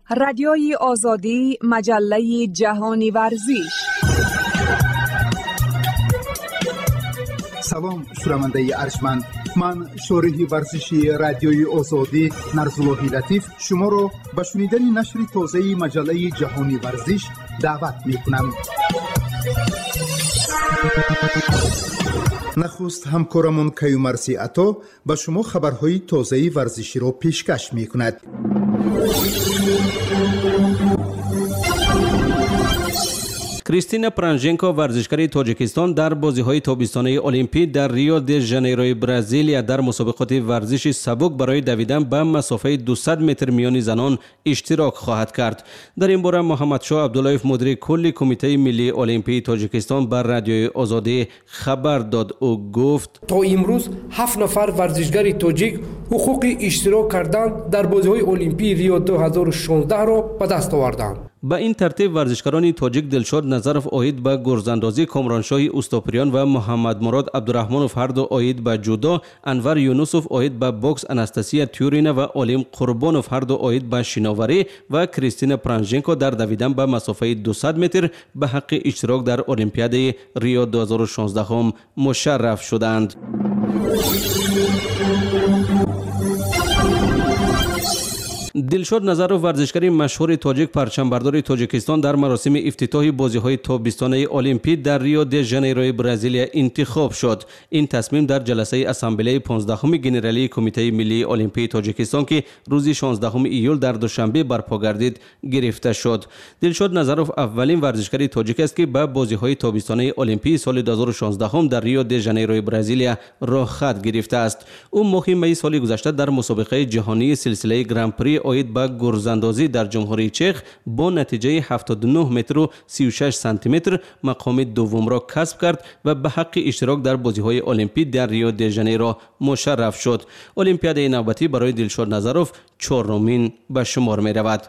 Радиои Озодӣ, маҷаллаи ҷаҳони варзиш. Салом, шунавандаи арҷманд. Ман, шориҳи варзиши Радиои Озодӣ Нарзуллоҳи Латиф, шуморо ба шунидани нашри тозаи маҷаллаи ҷаҳони варзиш даъват мекунам. Нахуст ҳамкорамон Каюмарси Ато ба шумо хабарҳои тозаи варзиширо пешкаш мекунад. Кристина Пранженко, варзишгари Тоҷикистон, дар бозиҳои тобистонаи Олимпӣ дар Рио де Жанейрои Бразилия дар мусобиқоти варзиши сабук барои давидан ба масофаи 200 метр миёни занон иштирок хоҳад кард. Дар ин бора Муҳаммадшоҳ Абдуллоев, мудири кулли Кумитаи миллии Олимпии Тоҷикистон, ба Радиои Озодӣ хабар дод. Ӯ гуфт: То имрӯз ҳафт нафар варзишгари тоҷик ҳуқуқи иштирок кардан дар бозиҳои Олимпии Рио 2016-ро ба даст оварданд. Ба ин тартиб, варзишгарони тоҷик Дилшод Назаров оид ба гурзандозӣ, Комроншоҳи Устопирён ва Муҳаммадмурод Абдураҳмонов ҳарду оид ба ҷудо, Анвар Юнусов оид ба бокс, Анастасия Тюрина ва Олим Қурбонов ҳарду оид ба шиноварӣ ва Кристина Пранженко дар давидан ба масофаи 200 метр ба ҳаққи иштирок дар Олимпиадаи Рио 2016 мушарраф шуданд. Дилшод Назаров, варзишгари машҳури тоҷик, парчамбардори Тоҷикистон, дар маросими ифтитоҳи бозиҳои тобистонаи Олимпӣ дар Рио де Жанейрои Бразилия интихоб шуд. Ин тасмим дар ҷаласаи ассамблеяи 15-уми генералии Кумитаи миллии Олимпии Тоҷикистон, ки рӯзи 16 июл дар Душанбе барпо гардид, гирифта шуд. Дилшод Назаров аввалин варзишгари тоҷик аст, ки ба бозиҳои тобистонаи Олимпии соли 2016 дар Рио де Жанейрои Бразилия роҳхат гирифтааст. Ӯ моҳи майи соли гузашта дар мусобиқаи ҷаҳонии силсилаи Гран-при оид ба гурзандозӣ дар Ҷумҳурии Чех бо натиҷаи 79 метру 36 сантиметр мақоми дуввумро касб кард ва ба ҳаққи иштирок дар бозиҳои Олимпӣ дар Рио де Жанейро мушарраф шуд. Олимпиадаи навбатӣ барои Дилшод Назаров чорумин ба шумор меравад.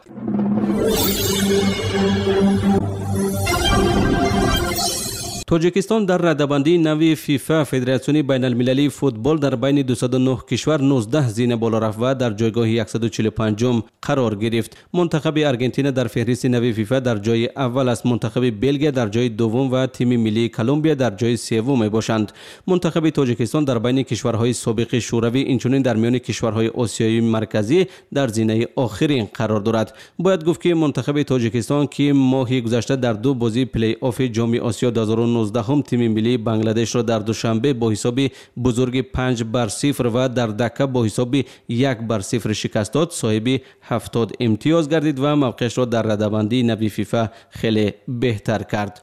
Тоҷикистон дар радабандии нави ФИФА, Федератсиони байналмилалии футбол, дар байни 209 кишвар 19 зина боло рафт ва дар ҷойгоҳи 145 қарор гирифт. Мунтахаби Аргентина дар феҳристи нави ФИФА дар ҷои аввал аст, мунтахаби Белгия дар ҷои дуввум ва тими миллии Колумбия дар ҷои севум мебошанд. Мунтахаби Тоҷикистон дар байни кишварҳои собиқи Шӯравӣ, инчунин дар миёни кишварҳои Осиёи Марказӣ дар зинаи охирин қарор дорад. Бояд гуфт, ки мунтахаби Тоҷикистон, ки моҳи гузашта дар ду бозии плей-оффи Ҷоми Осиё 2019 тими миллии Бангладешро дар Душанбе бо ҳисоби бузурги 5-0 ва дар Дака бо ҳисоби 1-0 шикаст дод, соҳиби 70 имтиёз гардид ва мавқеашро дар радабандии нави ФИФА хеле беҳтар кард.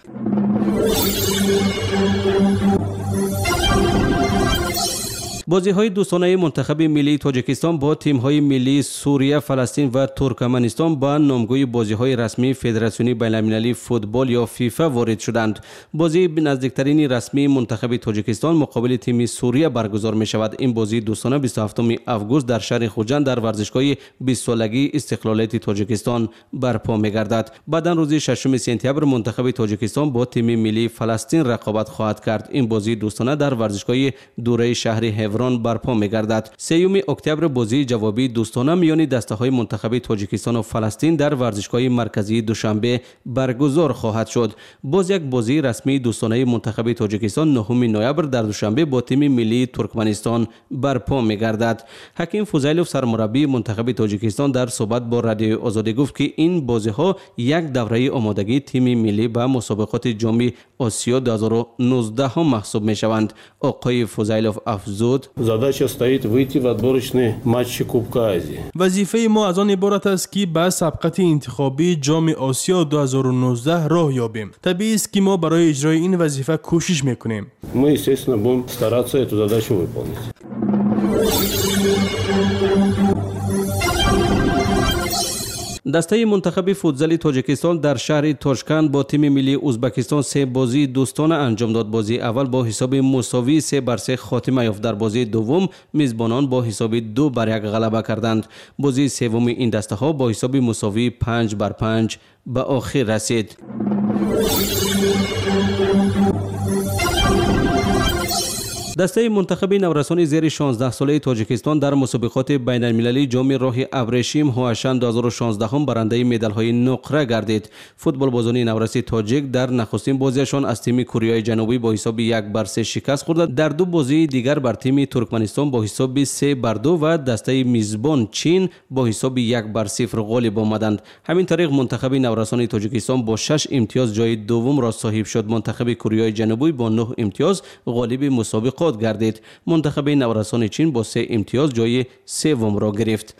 Бозиҳои дӯстонаи мунтахаби миллии Тоҷикистон бо тимҳои миллии Сурия, Фаластин ва Туркманистон ба номгӯи бозиҳои расмии Федератсиони байналмилалии футбол ё ФИФА ворид шуданд. Бозии наздиктарини расмии мунтахаби Тоҷикистон муқобили тими Сурия баргузор мешавад. Ин бозии дӯстона 27 август дар шаҳри Хуҷанд дар варзишгоҳи 20-солагии истиқлолияти Тоҷикистон барпо мегардад. Баъдан рӯзи 6 сентябр мунтахаби Тоҷикистон бо тими миллии Фаластин рақобат хоҳад кард. Ин бозии дӯстона дар варзишгоҳи дураи шаҳри Ҳеврон барпо мегардад. 3 октябр бозии ҷавобии дӯстона миёни дастаҳои мунтахаби Тоҷикистону Фаластин дар варзишгоҳи марказии Душанбе баргузор хоҳад шуд. Боз як бозии расмии дӯстонаи мунтахаби Тоҷикистон 9 ноябр дар Душанбе бо тими миллии Туркманистон барпо мегардад. Ҳаким Фузайлов, сармураббии мунтахаби Тоҷикистон, дар суҳбат бо Радиои Озодӣ гуфт, ки ин бозиҳо як давраи омодагии тими миллӣ ба мусобиқоти Ҷоми Осиё 2019 маҳсуб мешаванд. Оқои Фузайлов афзуд: Задача стоит выйти в отборочные матчи Кубка Азии. Вазифаи мо аз он иборат аст, ки ба сабқати интихобии Ҷоми Осиё 2019 роҳ ёбем. Табиист, ки мо барои иҷрои ин вазифа кӯшиш мекунем. Мы, естественно, будем стараться эту задачу выполнить. Дастаи мунтахаби футзали Тоҷикистон дар шаҳри Тошканд бо тими миллии Узбекистон се бозии дӯстона анҷом дод. Бозии аввал бо ҳисоби мусовии 3-3 хотима ёфт. Дар бозии дуввум мизбонон бо ҳисоби 2-1 ғалаба карданд. Бозии севуми ин дастаҳо бо ҳисоби мусовии 5-5 ба охир расид. Дастаи мунтахаби наврасони зери 16 солаи Тоҷикистон дар мусобиқоти байналмилалии ҷоми роҳи абрешим Ҳуашан 2016 барандаи медалҳои нуқра гардид. Футболбозони навраси тоҷик дар нахустин бозиашон аз тими Кореяи Ҷанубӣ бо ҳисоби 1-3 шикаст хӯрда, дар ду бозии дигар бар тими Туркманистон бо ҳисоби 3-2 ва дастаи мизбон Чин бо ҳисоби 1-0 ғолиб омаданд. Ҳамин тариқ мунтахаби наврасони Тоҷикистон бо 6 имтиёз ҷои дуввумро соҳиб шуд. Мунтахаби Кореяи Ҷанубӣ бо 9 имтиёз ғолиби мусобиқот гардид. Мунтахаби наврасони Чин бо 3 имтиёз ҷои севумро гирифт.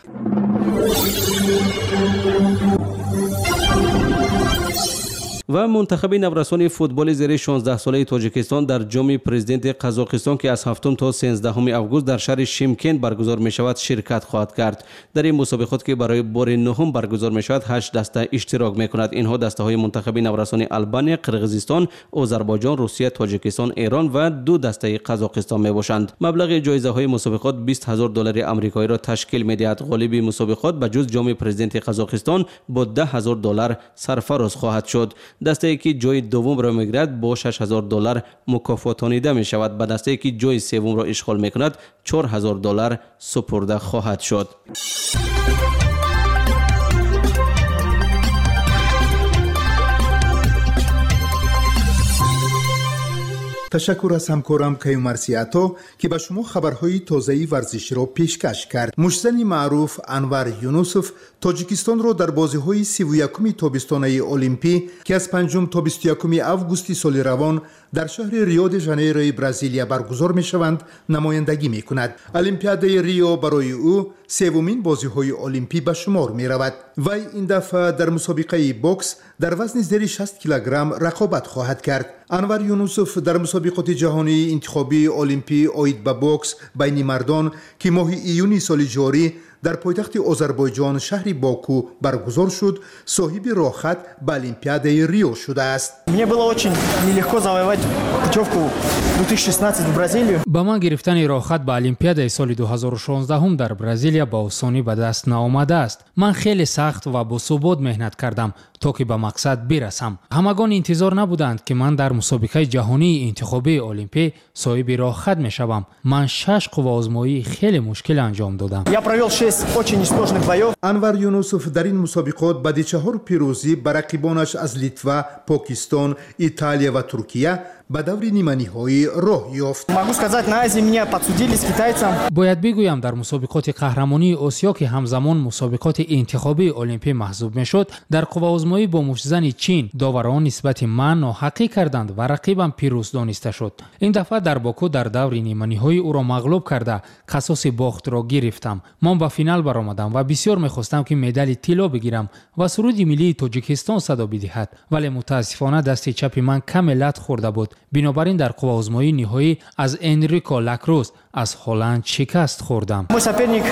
Ва мунтахаби наврасони футболи зери 16 солаи Тоҷикистон дар ҷоми президенти Қазоқистон, ки аз 7 то 13 август дар шаҳри Шимкент баргузор мешавад, ширкат хоҳад кард. Дар ин мусобиқот, ки барои бори нуҳум баргузор мешавад, 8 даста иштирок мекунад. Инҳо дастаҳои мунтахаби наврасони Албания, Қирғизистон, Озарбойҷон, Русия, Тоҷикистон, Эрон ва 2 дастаи Қазоқистон мебошанд. Маблағи ҷоизаҳои мусобиқот 20,000 доллари амрикоиро ташкил медиҳад. Ғолиби мусобиқот ба ҷуз ҷоми президенти Қазоқистон бо 10,000 доллар сарфароз хоҳад шуд. Дастае ки ҷои дуввумро мегирад бо 6,000 доллар мукофотонида мешавад. Ба дастае ки ҷои севумро ишғол мекунад 4,000 доллар супурда хоҳад шуд. Ташаккур аз ҳамкорам Каюмарси Ато, ки ба шумо хабарҳои тозаи варзиширо пешкаш кард. Муштзани маъруф Анвар Юнусов Тоҷикистонро дар бозиҳои 31-уми тобистонаи Олимпӣ, ки аз 5 то 21 августи соли равон дар шаҳри Рио-де-Жанейрои Бразилия баргузор мешаванд, намояндагӣ мекунад. Олимпиадаи Рио барои ӯ севумин бозиҳои олимпӣ ба шумор меравад. Вай ин дафъа дар мусобиқаи бокс дар вазни зери 60 килограмм рақобат хоҳад кард. Анвар Юнусов дар мусобиқоти ҷаҳонии интихобии олимпӣ оид ба бокс байни мардон, ки моҳи июни соли ҷорӣ дар пойтахти Озарбойҷон шаҳри Боку баргузор шуд, соҳиби роҳхат ба Олимпиадаи Рио шудааст. Мне было очень нелегко завоевать путевку 2016 в Бразилию. Ба ман гирифтани роҳхат ба Олимпиадаи соли 2016 дар Бразилия ба осонӣ ба даст наомадааст. Ман хеле сахт ва босубот меҳнат кардам, то ки ба мақсад бирасам. Ҳамагон интизор набуданд, ки ман дар мусобиқаи ҷаҳонии интихобии олимпӣ соҳиби роҳхат мешавам. Ман 6 қувваозмоии хеле мушкил анҷом додам. Я провел 6 очень несложных боев. Анвар Юнусов дар ин мусобиқот баъди 4 пирӯзӣ ба рақибонаш аз Литва, Покистон, Италия ва Туркия ба даври ниманиҳоӣ роҳ ёфт. Могу сказать, на Азии меня подсудили с китайцем. Бояд бигӯям, дар мусобиқоти қаҳрамонии Осиё, ки ҳамзамон мусобиқоти интихобии олимпӣ маҳсуб мешуд, дар қувваозмоӣ бо муштзани Чин доварон нисбати ман ноҳақӣ карданд ва рақибам пирӯз дониста шуд. Ин дафъа дар Боку дар даври ниманиҳоӣ ӯро мағлуб карда, қасоси бохтро гирифтам. Ман ба финал баромадам ва бисёр мехостам, ки медали тилло бигирам ва суруди миллии Тоҷикистон садо бидиҳад, вале мутаассифона дасти чапи ман каме лат хӯрда буд. Бинобар ин дар қувваозмоии ниҳоӣ аз Энрико Лакрус аз Ҳолланд шикаст хӯрдам. Мой соперник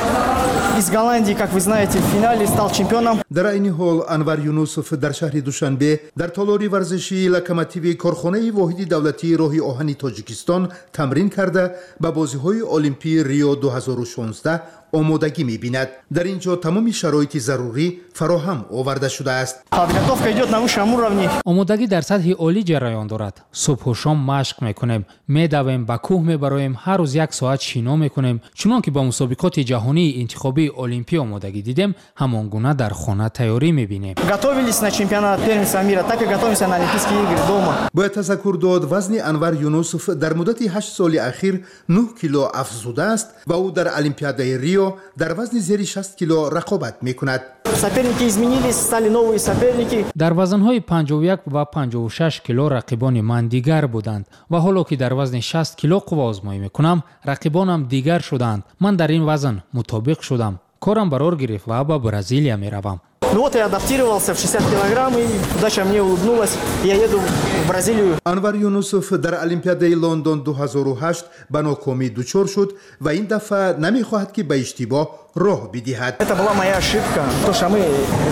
из Голландии, как вы знаете, в финале стал чемпионом. Дар айни ҳол Анвар Юнусов дар шаҳри Душанбе дар толори варзишии Локомотиви корхонаи воҳиди давлатии роҳи оҳани Тоҷикистон тамрин карда, ба бозиҳои олимпии Рио 2016 омодагӣ мебинад. Дар ин ҷо тамоми шароити зарурӣ фароҳам оварда шудааст. Подготовка идет на высшем уровне. Омодагӣ дар сатҳи олӣ ҷараён дорад. Субҳу шом машқ мекунем, медавем, ба кӯҳ мебароем, ҳар рӯз 1 соат шино мекунем. Чунон ки ба мусобиқоти ҷаҳонии интихобии олимпӣ омодагӣ дидем, ҳамон гуна дар хона тайёрӣ мебинем. Готовились на чемпионат первенства мира, так и готовимся на Олимпийские игры дома. Бояд тазаккур дод, вазни Анвар Юнусов дар муддати 8 соли ахир 9 кило афзудааст ва ӯ дар Олимпиадаи Рио дар вазни зери 60 кило рақобат мекунад. Соперники изменились, стали новые соперники. Дар вазнҳои 51 ва 56 кило рақибони ман дигар буданд ва ҳоло ки дар вазни 60 кило қувваозмоӣ мекунам, рақибонам дигар шуданд. Ман дар ин вазн мутобиқ шудам. Корам барор гирифт ва ба Бразилия меравам. Ну вот я адаптировался в 60 килограмм, и удача мне улыбнулась. Я еду в Бразилию. Анвар Юнусов дар Олимпиадаи Лондон 2008 ба нокомӣ дучор шуд ва ин дафъа намехоҳад, ки ба иштибоҳ роҳ бидиҳад. Это была моя ошибка, то что мы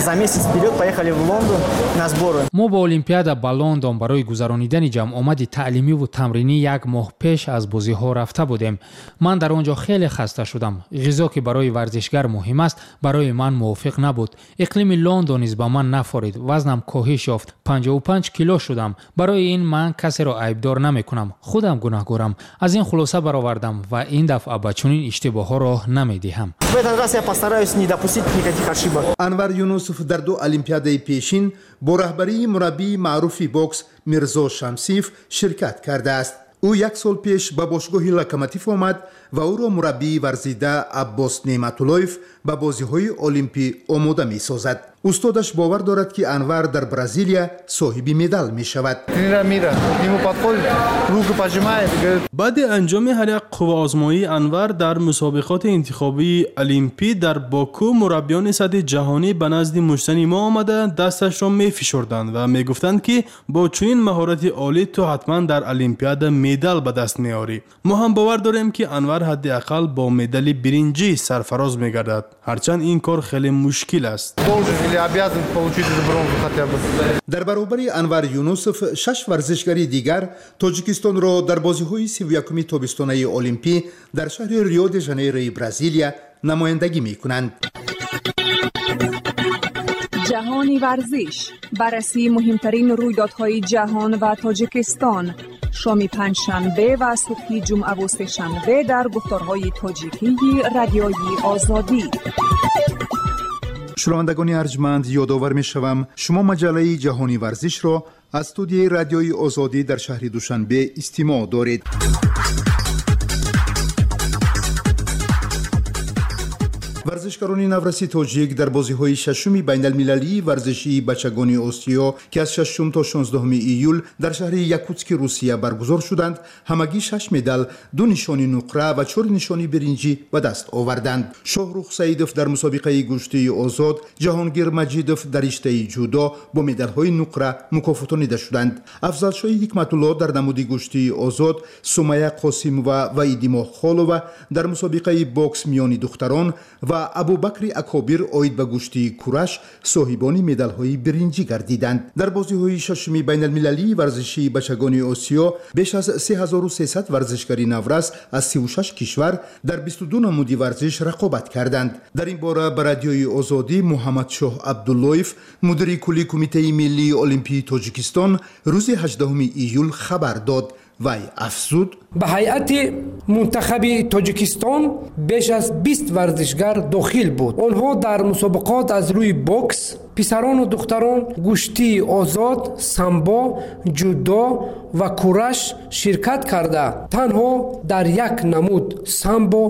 за месяц вперед поехали в Лондон на сборы. Мо ба Олимпиада ба Лондон барои гузаронидани ҷамъомади таълимиву тамринӣ як моҳ пеш аз бозиҳо рафта будем. Ман дар он ҷо хеле хаста шудам. Ғизо, ки барои варзишгар муҳим аст, барои ман мувофиқ набуд. Иқлими Лондон низ ба ман нафорид. Вазнам коҳиш ёфт, 55 кило шудам. Барои ин ман касеро айбдор намекунам, худам гунаҳгорам. Аз ин хулоса баровардам ва ин дафъа ба чунин иштибоҳҳо роҳ намедиҳам. В этот раз я постараюсь не допустить никаких ошибок. Анвар Юнусов дар ду олимпиадаи пешин бо раҳбарии мураббии маъруфи бокс Мирзо Шамсиев ширкат кардааст. Ӯ як сол пеш ба бошгоҳи Локомотив омад ва ӯро мураббии варзида Аббос Неъматуллоев ба бозиҳои олимпӣ омода месозад. Устодаш бовар дорад, ки Анвар дар Бразилия соҳиби медал мешавад. Баъди анҷоми ҳар як қувваозмоии Анвар дар мусобиқоти интихобии олимпӣ дар Боку мураббиёни сатҳи ҷаҳонӣ ба назди муштзани мо омада дасташро мефишурданд ва мегуфтанд, ки бо чунин маҳорати олӣ ту ҳатман дар олимпиада медал ба даст меорӣ. Мо ҳам бовар дорем, ки Анвар ҳадди ақал бо медали биринҷӣ сарфароз мегардад, ҳарчанд ин кор хеле мушкил аст. Дар баробари Анвар Юнусов шаш варзишгари дигар Тоҷикистонро дар бозиҳои 31-уми тобистонаи олимпӣ дар шаҳри Рио де Жанейрои Бразилия намояндагӣ мекунанд. Ҷаҳони варзиш, баррасии муҳимтарин рӯйдодҳои ҷаҳон ва Тоҷикистон, шоми панҷшанбе ва субҳи ҷумъаву сешанбе дар гуфторҳои тоҷикии Радиои Озодӣ. Шунавандагони арҷманд, ёдовар мешавам, шумо маҷаллаи Ҷаҳони варзишро аз студияи Радиои Озодӣ дар шаҳри Душанбе истимоъ доред. Варзишгарони навраси тоҷик дар бозиҳои шашуми байналмилалии варзишии бачагони Осиё, ки аз 6 то 16 июл дар шаҳри Якутски Русия баргузор шуданд, ҳамагӣ шаш медал, ду нишони нуқра ва чор нишони биринҷӣ ба даст оварданд. Шоҳрух Саидов дар мусобиқаи гӯштии озод, Ҷаҳонгир Маҷидов дар риштаи ҷудо бо медалҳои нуқра мукофотонида шуданд. Афзалшоҳи Ҳикматулло дар намуди гӯштии озод, Сумая Қосимова ва Идимоҳ Холова дар мусобиқаи бокс миёни духтарон ва Абубакри Акобир оид ба гӯштии кураш соҳибони медалҳои биринҷӣ гардиданд. Дар бозиҳои шашуми байналмилалии варзишии бачагони Осиё беш аз 3300 варзишгари наврас аз 36 кишвар дар 22 намуди варзиш рақобат карданд. Дар ин бора ба Радиои Озодӣ Муҳаммадшоҳ Абдуллоев, мудири кулли Кумитаи миллии олимпии Тоҷикистон, рӯзи 18 июл хабар дод. Вай афзуд: Ба ҳайати мунтахаби Тоҷикистон беш аз 20 варзишгар дохил буд. Онҳо дар мусобиқот аз рӯи бокс писарону духтарон, гӯштии озод, самбо, ҷудо ва кураш ширкат карда, танҳо дар як намуд самбо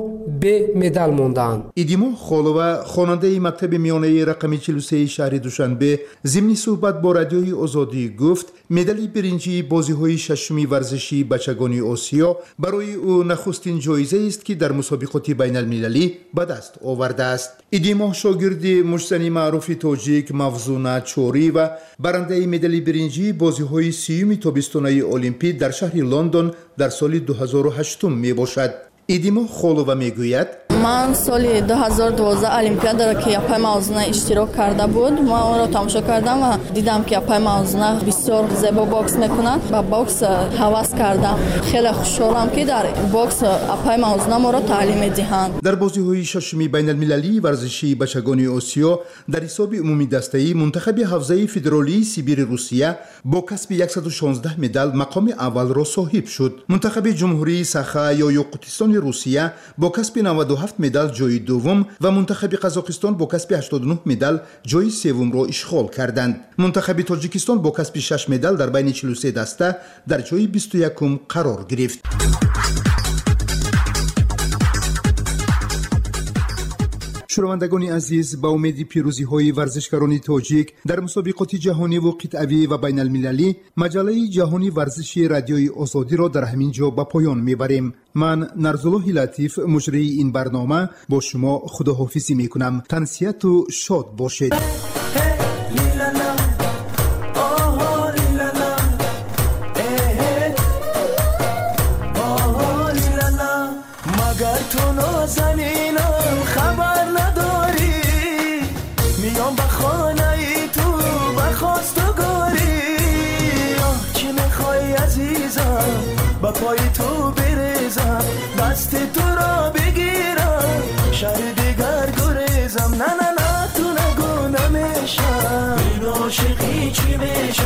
бе медал мондаанд. Идимо Холова, хонандаи мактаби миёнаи рақами 43 шаҳри Душанбе, зимни суҳбат бо Радиои Озодӣ гуфт, медали биринҷии бозиҳои шашуми варзишии бачагони Осиё барои ӯ нахустин ҷоизаест, ки дар мусобиқоти байналмилалӣ ба даст овардааст. Идимо шогирди муштзани маъруфи тоҷик Мавзуна Чориева, барандаи медали биринҷии бозиҳои сиюми тобистонаи олимпӣ дар шаҳри Лондон дар соли 2008 мебошад. Идимо Холова мегӯяд: Ман соли 2012 олимпиадаро, ки апай Мавзуна иштирок карда буд, ман онро тамошо кардам ва дидам, ки апай Мавзуна бисёр зебо бокс мекунад. Ба бокс ҳавас кардам. Хеле хушҳолам, ки дар бокс апай Мавзуна моро таълим медиҳанд. Дар бозиҳои шашуми байналмилалии варзишии бачагони Осиё дар ҳисоби умумидастаӣ мунтахаби ҳавзаи федералии Сибири Русия бо касби 116 медал мақоми аввалро соҳиб шуд. Мунтахаби Ҷумҳурии Саха ё Ёқутистони Русия бо касби 97 медал ҷои дуввум ва мунтахаби Қазоқистон бо касби 89 медал ҷои севумро ишғол карданд. Мунтахаби Тоҷикистон бо касби 6 медал дар байни 43 даста дар ҷои 21-ум қарор гирифт. Шунавандагони азиз, ба умеди пирӯзиҳои варзишгарони тоҷик дар мусобиқоти ҷаҳониву қитъавӣ ва байналмилалӣ, маҷаллаи Ҷаҳони варзиши Радиои Озодиро дар ҳамин ҷо ба поён мебарем. Ман, Нарзуллоҳи Латиф, муҷрии ин барнома, бо шумо худоҳофизӣ мекунам. Тансиҳату шод бошед. Магар ту нозанинам хабар. Пои ту бирезам, дасти туро бигирам, шаҳри дигар гурезам. На, на, на, ту нагӯ намешам. Ин ошиқӣ чӣ мешам?